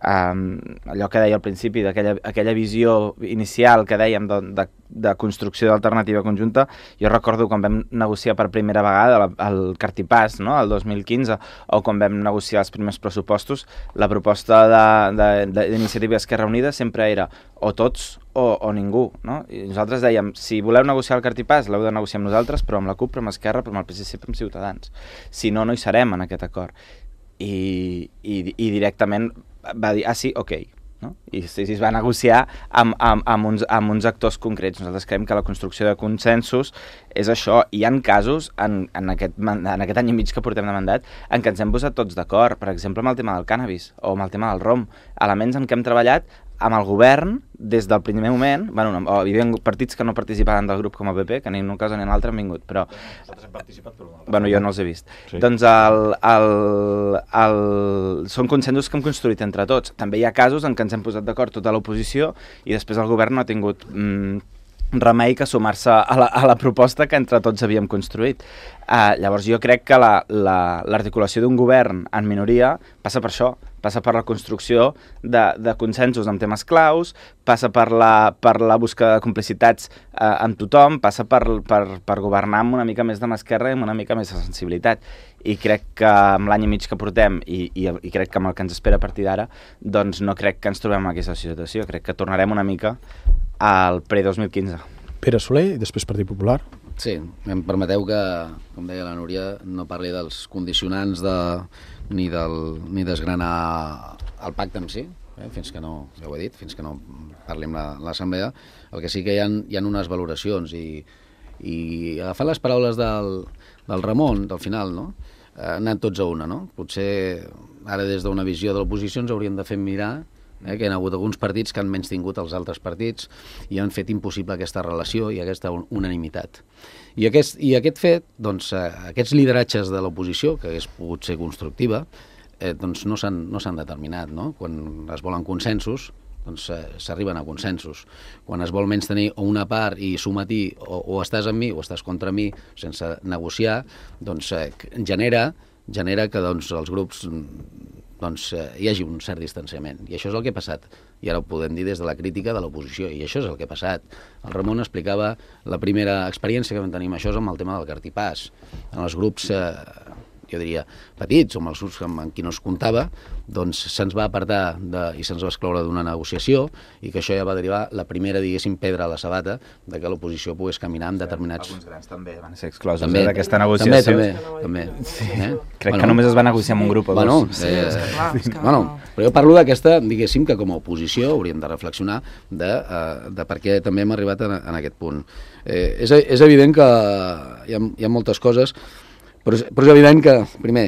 G: Um, allò que deia al principi, d'aquella aquella visió inicial que dèiem de, de, de construcció d'alternativa conjunta, jo recordo quan vam negociar per primera vegada la, el Cartipàs, no?, el dos mil quinze, o quan vam negociar els primers pressupostos, la proposta d'Iniciativa Esquerra Unida sempre era o tots o, o ningú, no? I nosaltres dèiem, si voleu negociar el Cartipàs, l'heu de negociar amb nosaltres, però amb la CUP, però amb Esquerra, però amb el P S C, però amb Ciutadans. Si no, no hi serem en aquest acord. I, i, i directament va dir, ah sí, ok, no? I, i es va negociar amb, amb, amb, uns, amb uns actors concrets. Nosaltres creiem que la construcció de consensos és això. Hi ha casos en, en, aquest, en aquest any i mig que portem de mandat en què ens hem posat tots d'acord, per exemple amb el tema del cànnabis o amb el tema del rom, elements en què hem treballat amb el govern des del primer moment. Bueno, no, hi havia partits que no participaven del grup com el P P, que ni en un cas ni en l'altre han vingut, però...
H: Nosaltres hem participat, però...
G: Bueno, jo no els he vist.
H: Sí.
G: Doncs el, el, el... són consensos que hem construït entre tots. També hi ha casos en què ens hem posat d'acord tota l'oposició i després el govern no ha tingut mm, remei que sumar-se a, la, a la proposta que entre tots havíem construït. Uh, llavors jo crec que l'articulació la, la, d'un govern en minoria passa per això, passa per la construcció de, de consensos amb temes claus, passa per la, per la busca de complicitats eh, amb tothom, passa per, per, per governar amb una mica més de mà esquerra i amb una mica més de sensibilitat. I crec que amb l'any i mig que portem i, i, i crec que amb el que ens espera a partir d'ara, doncs no crec que ens trobem en aquesta situació. Crec que tornarem una mica al pre-dos mil quinze.
B: Pere Soler i després Partit Popular.
E: Sí, em permeteu que, com deia la Núria, no parli dels condicionants de, ni, del, ni desgranar el pacte en si, eh, fins que no, ja ho he dit, fins que no parli amb l'Assemblea. El que sí que hi ha, hi ha unes valoracions i, i agafant les paraules del, del Ramon, del final, no? Eh, anant tots a una, no? Potser ara des d'una visió de l'oposició ens haurien de fer mirar Eh, que hi ha hagut alguns partits que han menys tingut els altres partits i han fet impossible aquesta relació i aquesta unanimitat. I aquest, i aquest fet, doncs, eh, aquests lideratges de l'oposició, que hagués pogut ser constructiva, eh, doncs no s'han no s'han determinat, no? Quan es volen consensos, doncs eh, s'arriben a consensos. Quan es vol menys tenir una part i sometir o, o estàs amb mi o estàs contra mi sense negociar, doncs eh, genera, genera que doncs, els grups doncs eh, hi hagi un cert distanciament. I això és el que ha passat. I ara ho podem dir des de la crítica de l'oposició. I això és el que ha passat. El Ramon explicava la primera experiència que vam tenir amb això és amb el tema del cartipàs. En els grups, eh, jo diria, petits, o amb els grups amb, amb qui no es comptava, doncs se'ns va apartar de, i se'ns va excloure d'una negociació i que això ja va derivar la primera, diguéssim, pedra a la sabata de que l'oposició pogués caminar amb determinats...
G: Alguns grans també van ser exclosos
E: també,
G: eh, d'aquesta negociació.
E: També, també. també.
G: Sí. Eh? Crec bueno, que només es va negociar amb un grup o
E: bueno,
G: dos.
E: Sí, eh, és clar, és que... bueno, però jo parlo d'aquesta, diguéssim, que com a oposició hauríem de reflexionar de, uh, de per què també hem arribat en, en aquest punt. Eh, és, és evident que hi ha, hi ha moltes coses, però és, però és evident que, primer,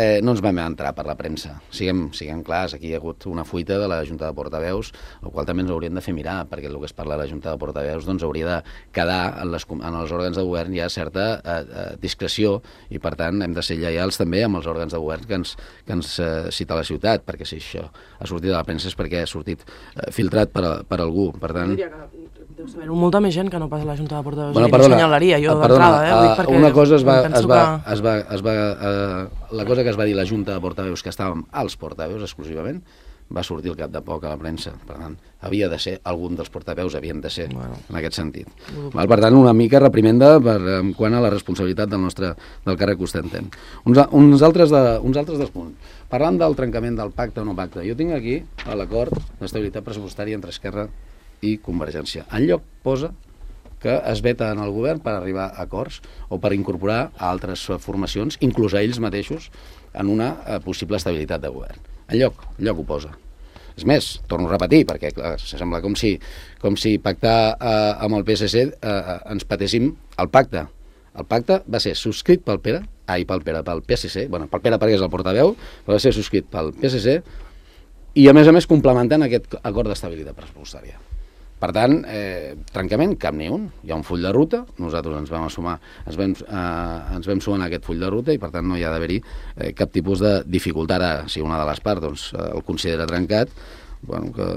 E: eh, no ens vam entrar per la premsa. Siguem, siguem clars, aquí hi ha hagut una fuita de la Junta de Portaveus, el qual també ens hauríem de fer mirar, perquè el que es parla de la Junta de Portaveus doncs hauria de quedar en, les, en els òrgans de govern hi ha certa eh, eh, discreció i, per tant, hem de ser lleials també amb els òrgans de govern que ens, que ens eh, cita la ciutat, perquè si això ha sortit de la premsa és perquè ha sortit eh, filtrat per, a, per algú. Per tant...
F: Deu saber molta més gent que no pas a la Junta de Portaveus.
E: Bueno,
F: perdona, no senyalaria jo d'entrada, eh? Vull dir, perquè
E: una cosa es va, es va,
F: que...
E: es va, es va uh, la cosa que es va dir a la Junta de Portaveus, que estàvem als portaveus exclusivament, va sortir al cap de poc a la premsa. Per tant, havia de ser, algun dels portaveus havien de ser, bueno, en aquest sentit. Val, per tant, una mica reprimenda per, en quant a la responsabilitat del nostre del càrrec que ostentem. Uns, uns, altres de, uns altres dels punts. Parlant del trencament del pacte o no pacte, jo tinc aquí l'acord d'estabilitat pressupostària entre Esquerra i Convergència. Enlloc posa que es veta en el govern per arribar a acords o per incorporar a altres formacions, inclús a ells mateixos, en una eh, possible estabilitat de govern. Enlloc, enlloc ho posa. És més, torno a repetir, perquè clar, sembla com si, com si pactar eh, amb el P S C eh, ens patéssim el pacte. El pacte va ser subscrit pel Pere, ai, pel Pere, pel P S C, bueno, pel Pere perquè és el portaveu, però va ser subscrit pel P S C i, a més a més, complementant aquest acord d'estabilitat pressupostària. Per tant, eh, trencament, cap ni un. Hi ha un full de ruta, nosaltres ens vam assumar, ens vam, eh, ens vam sumar en aquest full de ruta i per tant no hi ha d'haver-hi eh, cap tipus de dificultat. Ara, si una de les parts doncs, eh, el considera trencat, bueno, que,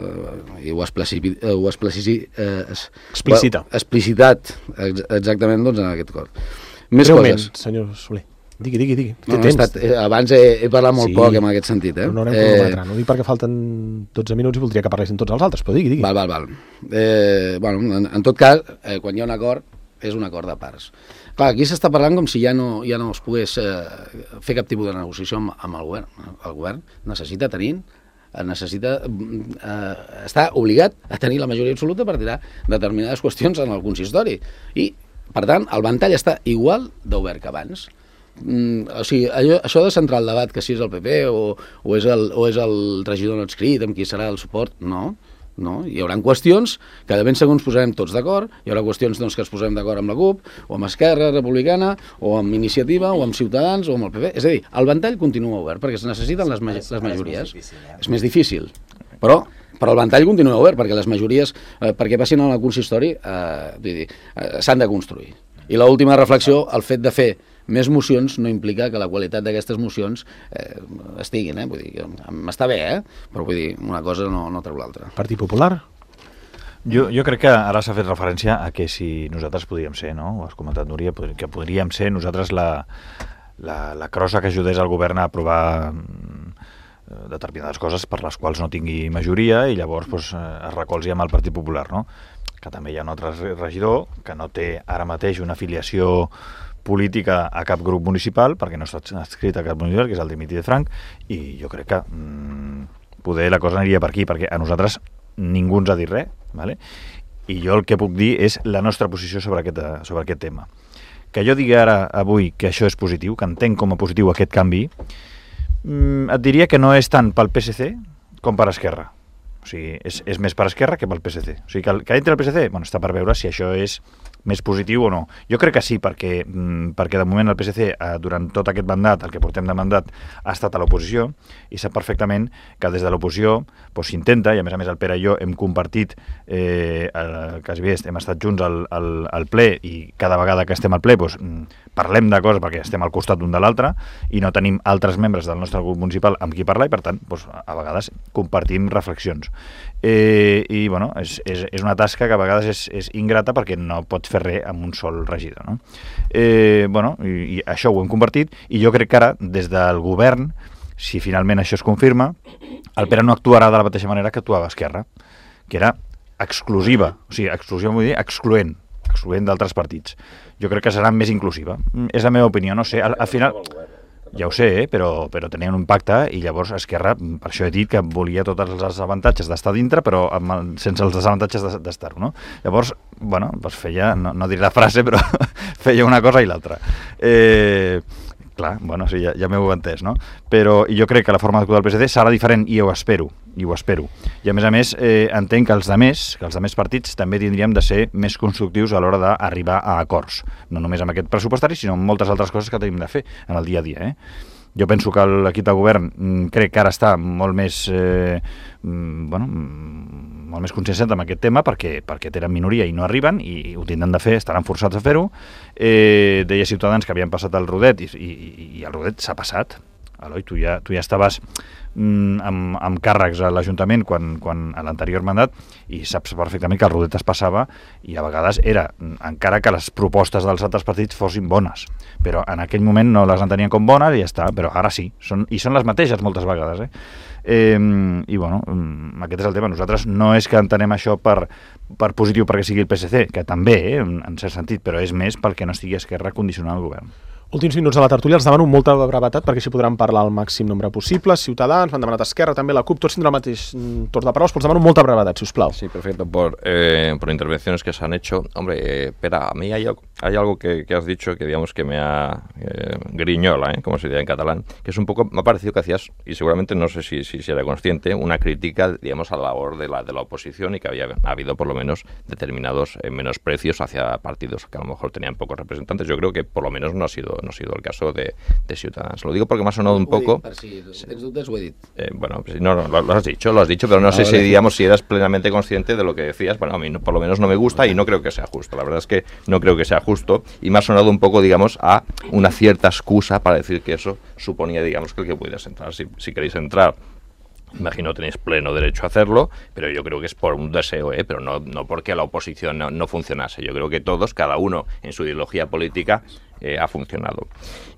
E: i ho ha explicitat, ho ha eh, es,
B: Explicita.
E: explicitat ex, exactament doncs, en aquest acord. Més
B: Breument,
E: coses.
B: senyor Soler. Digui, digui, digui.
E: No, no, estat, eh, abans he, he parlat molt sí, poc en aquest sentit. Eh?
B: Però no haurem eh... cronòmetre. No dic perquè falten dotze minuts i voldria que parlessin tots els altres, però digui, digui.
E: Val, val, val. Eh, bueno, en, en tot cas, eh, quan hi ha un acord, és un acord de parts. Clar, aquí s'està parlant com si ja no, ja no es pogués eh, fer cap tipus de negociació amb, amb el govern. El govern necessita tenir necessita eh, està obligat a tenir la majoria absoluta per tirar determinades qüestions en el consistori. I, per tant, el ventall està igual d'obert que abans. Mm, o sigui, allò, això de centrar el debat que si és el P P o, o, és el, o és el regidor no adscrit amb qui serà el suport, no, no. Hi haurà qüestions que de ben segur ens posarem tots d'acord, hi haurà qüestions doncs, que ens posarem d'acord amb la C U P o amb Esquerra Republicana o amb Iniciativa o amb Ciutadans o amb el P P, és a dir, el ventall continua obert perquè es necessiten les, ma les majories. És més difícil, eh? És més difícil. Però però el ventall continua obert perquè les majories, eh, perquè passin al consistori, eh, dir, eh, s'han de construir. I l'última reflexió, el fet de fer més mocions no implica que la qualitat d'aquestes mocions eh, estiguin, eh? Vull dir, m'està bé, eh? Però vull dir, una cosa no, no treu l'altra.
B: Partit Popular?
H: Jo, jo crec que ara s'ha fet referència a que si nosaltres podríem ser, no? Ho has comentat, Núria, que podríem ser nosaltres la, la, la crossa que ajudés al govern a aprovar determinades coses per les quals no tingui majoria i llavors doncs, es recolzi amb el Partit Popular, no? Que també hi ha un altre regidor que no té ara mateix una afiliació política a cap grup municipal, perquè no està adscrit a cap municipal, que és el Dimitri de Frank, i jo crec que mmm, poder la cosa aniria per aquí, perquè a nosaltres ningú ens ha dit res, ¿vale? I jo el que puc dir és la nostra posició sobre aquest, sobre aquest tema. Que jo digui ara, avui, que això és positiu, que entenc com a positiu aquest canvi, mm, et diria que no és tant pel P S C com per Esquerra. O sigui, és, és més per Esquerra que pel P S C. O sigui, que, el, que entri el P S C, bueno, està per veure si això és més positiu o no. Jo crec que sí, perquè, mm, perquè de moment el P S C, eh, durant tot aquest mandat, el que portem de mandat, ha estat a l'oposició i sap perfectament que des de l'oposició doncs, s'intenta, i a més a més el Pere i jo hem compartit, eh, el, quasi bé, hem estat junts al, al, al ple i cada vegada que estem al ple doncs, parlem de coses perquè estem al costat d'un de l'altre i no tenim altres membres del nostre grup municipal amb qui parlar i per tant doncs, a vegades compartim reflexions. Eh, i bueno, és, és, és una tasca que a vegades és, és ingrata perquè no pots fer res amb un sol regidor, no? Eh, bueno, i, i això ho hem compartit i jo crec que ara des del govern, si finalment això es confirma, el Pere no actuarà de la mateixa manera que actuava Esquerra, que era exclusiva, o sigui, exclusiva vull dir excloent, excloent d'altres partits. Jo crec que serà més inclusiva. És la meva opinió, no sé, al, al final... Ja ho sé, eh? però, però tenien un pacte i llavors Esquerra, per això he dit que volia tots els avantatges d'estar dintre però amb, sense els desavantatges d'estar-ho, no? Llavors, bueno, doncs feia, no, no diré la frase, però feia una cosa i l'altra. Eh, clar, bueno, sí, ja, ja m'heu entès, no? Però jo crec que la forma d'actuar del P S D serà diferent i ho espero, i ho espero. I a més a més, eh, entenc que els demés, que els demés partits també tindríem de ser més constructius a l'hora d'arribar a acords. No només amb aquest pressupostari, sinó amb moltes altres coses que tenim de fer en el dia a dia, eh? Jo penso que l'equip de govern crec que ara està molt més eh, bueno, molt més conscienciat amb aquest tema perquè, perquè tenen minoria i no arriben i ho tindran de fer, estaran forçats a fer-ho. Eh, deia Ciutadans que havien passat el rodet i, i, i el rodet s'ha passat. Eloi, tu ja, tu ja estaves mm, amb, amb càrrecs a l'Ajuntament quan, quan a l'anterior mandat i saps perfectament que el rodet es passava i a vegades era, encara que les propostes dels altres partits fossin bones, però en aquell moment no les entenien com bones i ja està, però ara sí, són, i són les mateixes moltes vegades, eh? Eh, i bueno, aquest és el tema. Nosaltres no és que entenem això per, per positiu perquè sigui el P S C, que també, eh, en, en cert sentit, però és més pel que no estigui Esquerra condicionant el govern.
B: Últims minuts de la tertúlia, els demano molta brevetat perquè així podran parlar el màxim nombre possible. Ciutadans, m'han demanat Esquerra, també la CUP, tots tindran el mateix torn de paraules, però els demano molta brevetat, si us plau.
A: Sí, perfecto. Por, eh, por intervenciones que se han hecho. Hombre, eh, espera, a mí hay, hay algo que, que has dicho que digamos que me ha eh, griñola, ¿eh? Como se diría en catalán, que es un poco, me ha parecido que hacías, y seguramente no sé si, si, si era consciente, una crítica, digamos, a la labor de la, de la oposición y que había ha habido por lo menos determinados eh, menosprecios hacia partidos que a lo mejor tenían pocos representantes. Yo creo que por lo menos no ha sido, no ha sido el caso de De, de Ciutadans. Lo digo porque me ha sonado un poco...
E: Si tens dubtes, ho he dit.
A: Eh, bueno, no, no, lo, lo has dicho, lo has dicho, pero no ah, sé vale. si, digamos, si eras plenamente consciente de lo que decías. Bueno, a mí no, por lo menos no me gusta y no creo que sea justo. La verdad es que no creo que sea justo y me ha sonado un poco, digamos, a una cierta excusa para decir que eso suponía, digamos, que el que pudieras entrar. Si, si queréis entrar, imagino tenéis pleno derecho a hacerlo, pero yo creo que es por un deseo, ¿eh? Pero no, no porque la oposición no, no funcionase. Yo creo que todos, cada uno en su ideología política, Eh, ha funcionado.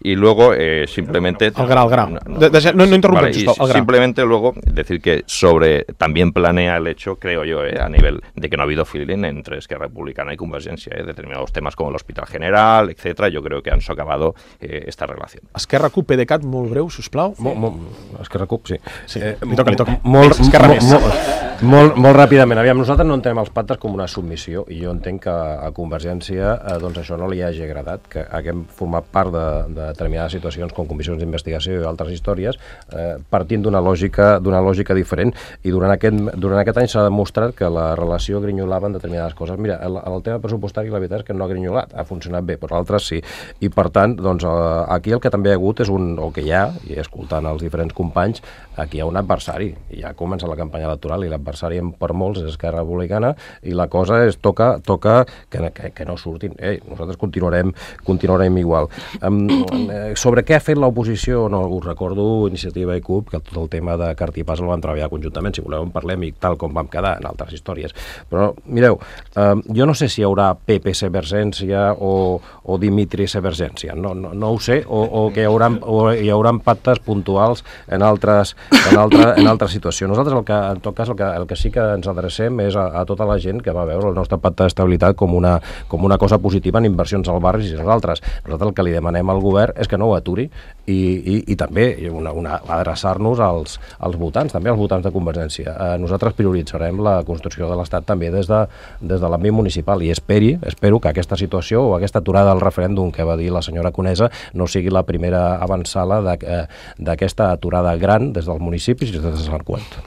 A: Y luego, eh, simplemente...
B: Al gra, al gra. No, no, de, de, no, no interrumpes,
A: vale,
B: al gra.
A: Simplemente luego decir que sobre... También planea el hecho, creo yo, eh, a nivel de que no ha habido feeling entre Esquerra Republicana y Convergencia, eh, determinados temas como el Hospital General, etcétera. Yo creo que han socavado eh, esta relación.
B: Esquerra CUP, PDeCAT, molt breu, sisplau.
D: Sí. Molt, molt, Esquerra CUP, sí.
B: sí. Eh, li toca, li toca.
D: Molt, Esquerra molt, molt, molt, molt ràpidament. Aviam, nosaltres no entenem els pactes com una submissió i jo entenc que a Convergència eh, doncs això no li hagi agradat, que haguem format part de, de determinades situacions com comissions d'investigació i altres històries, eh, partint d'una lògica d'una lògica diferent, i durant aquest, durant aquest any s'ha demostrat que la relació grinyolava en determinades coses. Mira, el, el tema pressupostari la veritat és que no ha grinyolat, ha funcionat bé, però l'altre sí, i per tant, doncs, eh, aquí el que també hi ha hagut és un, o que hi ha, i escoltant els diferents companys, aquí hi ha un adversari, i ja comença la campanya electoral i l'adversari l'adversari per molts és Esquerra Republicana, i la cosa és toca, toca que, que, que no surtin. Ei, nosaltres continuarem, continuarem igual. Um, sobre què ha fet l'oposició, no, us recordo Iniciativa i C U P, que tot el tema de Cartipàs el van treballar conjuntament, si voleu en parlem, i tal com vam quedar en altres històries. Però, mireu, um, jo no sé si hi haurà P P Severgència o, o Dimitri Severgència, no, no, no ho sé, o, o que hi haurà, o hi haurà pactes puntuals en altres, en altra, en altres situacions. Nosaltres, el que, en tot cas, el que, el que sí que ens adrecem és a, a tota la gent que va veure el nostre pacte d'estabilitat com una, com una cosa positiva en inversions al barri i nosaltres. Nosaltres el que li demanem al govern és que no ho aturi i, i, i també una, una, adreçar-nos als, als votants, també als votants de Convergència. Eh, nosaltres prioritzarem la construcció de l'Estat també des de, des de l'àmbit municipal i esperi, espero que aquesta situació o aquesta aturada del referèndum que va dir la senyora Conesa no sigui la primera avançada d'aquesta aturada gran des dels municipis i des de Sant Cugat.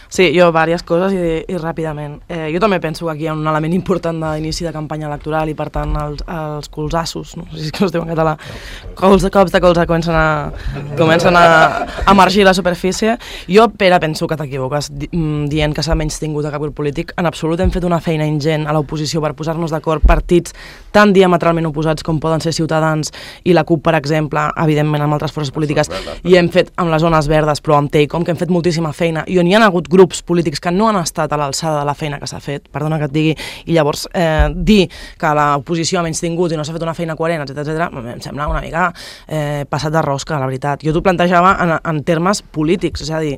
F: Sí, jo diverses coses i, i ràpidament. Eh, jo també penso que aquí hi ha un element important d'inici de campanya electoral i per tant els, els colzassos, no sé si es diu en català, cols de cops de colze comencen a, comencen a emergir a la superfície. Jo, Pere, penso que t'equivoques di, dient que s'ha menys tingut a cap grup polític. En absolut hem fet una feina ingent a l'oposició per posar-nos d'acord partits tan diametralment oposats com poden ser Ciutadans i la C U P, per exemple, evidentment amb altres forces polítiques, i hem fet amb les zones verdes, però amb Teicom, que hem fet moltíssima feina, i on hi ha hagut grups grups polítics que no han estat a l'alçada de la feina que s'ha fet, perdona que et digui, i llavors eh, dir que l'oposició ha menys tingut i no s'ha fet una feina coherent, etcètera, etcètera, em sembla una mica eh, passat de rosca, la veritat. Jo t'ho plantejava en, en termes polítics, és a dir,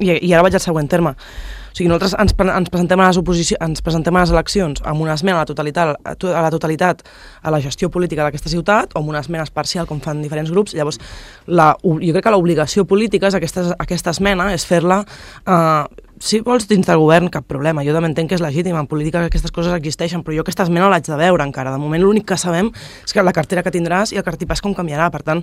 F: i, i ara vaig al següent terme. O sigui, nosaltres ens, ens, presentem a les oposició, ens presentem a les eleccions amb una esmena a la totalitat, a la totalitat a la gestió política d'aquesta ciutat o amb una esmena parcial, com fan diferents grups. Llavors, la, jo crec que l'obligació política és aquesta, aquesta esmena, és fer-la, eh, si vols, dins del govern, cap problema. Jo també entenc que és legítim, en política que aquestes coses existeixen, però jo aquesta esmena l'haig de veure encara. De moment l'únic que sabem és que la cartera que tindràs i el cartipàs com canviarà. Per tant,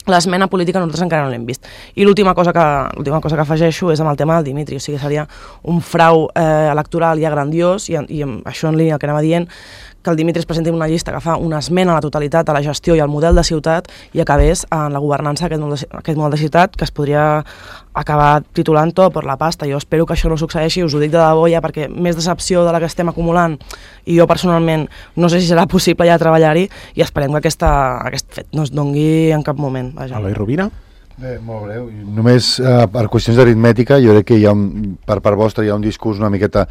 F: l'esmena política nosaltres encara no l'hem vist. I l'última cosa que l'última cosa que afegeixo és amb el tema del Dimitri, o sigui, seria un frau eh, electoral ja grandiós, i, i això en línia que anava dient, que el Dimitri es presenti una llista que fa una esmena a la totalitat a la gestió i al model de ciutat i acabés en la governança d'aquest model, aquest model de ciutat, que es podria acabar titulant tot per la pasta. Jo espero que això no succeeixi, us ho dic de debò ja, perquè més decepció de la que estem acumulant, i jo personalment no sé si serà possible ja treballar-hi, i esperem que aquesta, aquest fet no es dongui en cap moment. Vaja.
B: Eloi Rovira?
C: Bé, molt breu. Només eh, per qüestions d'aritmètica, jo crec que hi ha un, per part vostra hi ha un discurs una miqueta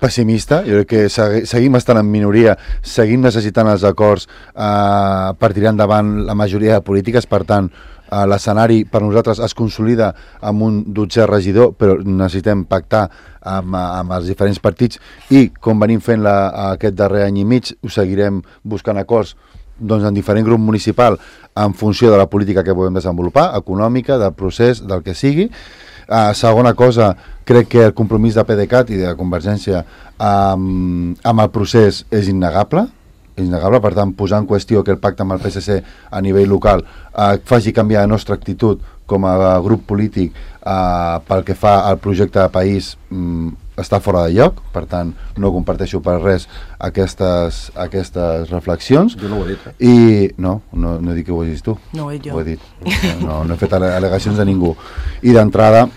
C: pessimista. Jo crec que segui, seguim estant en minoria, seguim necessitant els acords eh, per tirar endavant la majoria de polítiques, per tant eh, l'escenari per nosaltres es consolida amb un dotzè regidor, però necessitem pactar amb, amb els diferents partits, i com venim fent la, aquest darrer any i mig, ho seguirem buscant acords doncs en diferent grup municipal en funció de la política que podem desenvolupar, econòmica, del procés, del que sigui. Uh, segona cosa, crec que el compromís de PDeCAT i de Convergència um, amb el procés és innegable, és innegable, per tant, posar en qüestió que el pacte amb el P S C a nivell local uh, faci canviar la nostra actitud com a grup polític uh, pel que fa al projecte de país um, està fora de lloc, per tant no comparteixo per res aquestes, aquestes reflexions.
D: Jo no ho he dit, eh?
C: I no, no, no he dit que ho hagis tu.
F: No ho he dit jo.
C: Ho he dit. No, no he fet al·legacions de ningú. I d'entrada,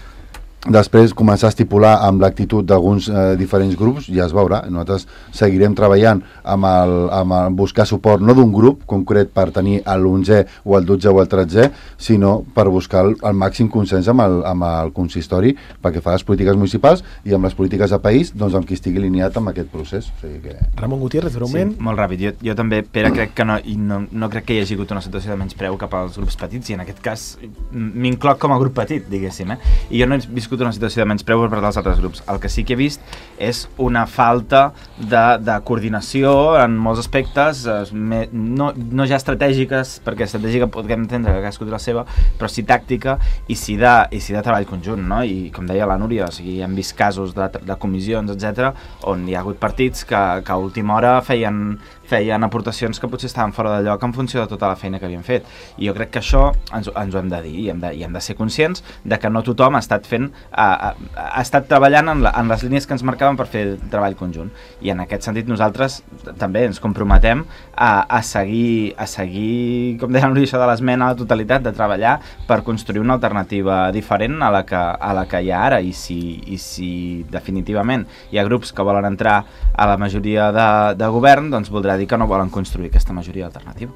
C: després començar a estipular amb l'actitud d'alguns eh, diferents grups, ja es veurà. Nosaltres seguirem treballant amb el, amb el buscar suport no d'un grup concret per tenir l'onzè o el dotzè o el tretzè, sinó per buscar el, el màxim consens amb el, amb el consistori perquè fa les polítiques municipals i amb les polítiques de país, doncs amb qui estigui alineat amb aquest procés. O sigui que...
B: Ramon Gutiérrez, breument.
G: Sí, molt ràpid. Jo, jo també, Pere, crec que no, i no, no crec que hi hagi hagut una situació de menyspreu cap als grups petits, i en aquest cas m'incloc com a grup petit, diguéssim, eh? I jo no he viscut una situació de menyspreu per part dels altres grups. El que sí que he vist és una falta de, de coordinació en molts aspectes, me, no, no ja estratègiques, perquè estratègica podem entendre que cadascú té la seva, però sí tàctica i sí de, i sí de treball conjunt, no? I com deia la Núria, o sigui, hem vist casos de, de comissions, etcètera, on hi ha hagut partits que, que a última hora feien feien aportacions que potser estaven fora de lloc en funció de tota la feina que havien fet. I jo crec que això ens, ens ho hem de dir i hem de, i hem de ser conscients de que no tothom ha estat fent, ha, ha, ha estat treballant en, la, en les línies que ens marcaven per fer el treball conjunt. I en aquest sentit nosaltres també ens comprometem a, a seguir, a seguir, com deia l'origen de l'esmena a la totalitat, de treballar per construir una alternativa diferent a la que, a la que hi ha ara. I si, i si definitivament hi ha grups que volen entrar a la majoria de, de govern, doncs voldrà dir que no volen construir aquesta majoria alternativa.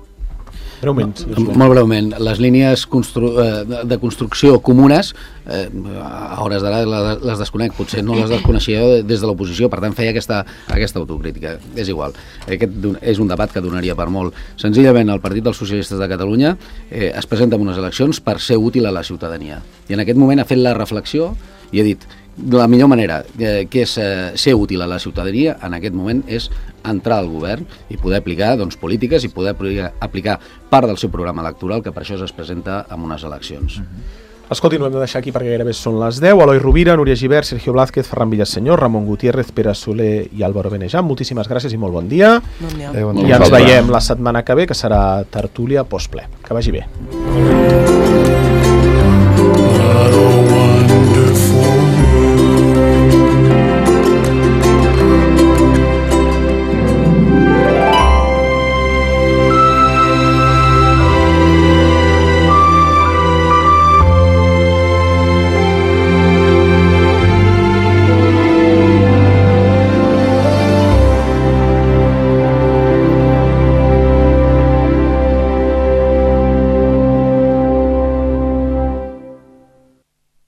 B: Breument, sí,
E: molt breument, les línies constru eh, de construcció comunes, eh, a hores d'ara les desconec, potser no les desconeixia des de l'oposició, per tant feia aquesta, aquesta autocrítica. És igual, aquest és un debat que donaria per molt. Senzillament el Partit dels Socialistes de Catalunya eh, es presenta en unes eleccions per ser útil a la ciutadania. I en aquest moment ha fet la reflexió i ha dit la millor manera eh, que és eh, ser útil a la ciutadania en aquest moment és entrar al govern i poder aplicar doncs, polítiques i poder aplicar part del seu programa electoral, que per això es presenta en unes eleccions.
B: Mm-hmm. Escolti, no hem de deixar aquí perquè gairebé són les deu. Eloi Rovira, Núria Gibert, Sergio Blázquez, Ferran Villaseñor, Ramon Gutiérrez, Pere Soler i Álvaro Benejam. Moltíssimes gràcies i molt bon dia.
F: Bon dia.
B: I ens veiem la setmana que ve, que serà tertúlia postple. Que vagi bé.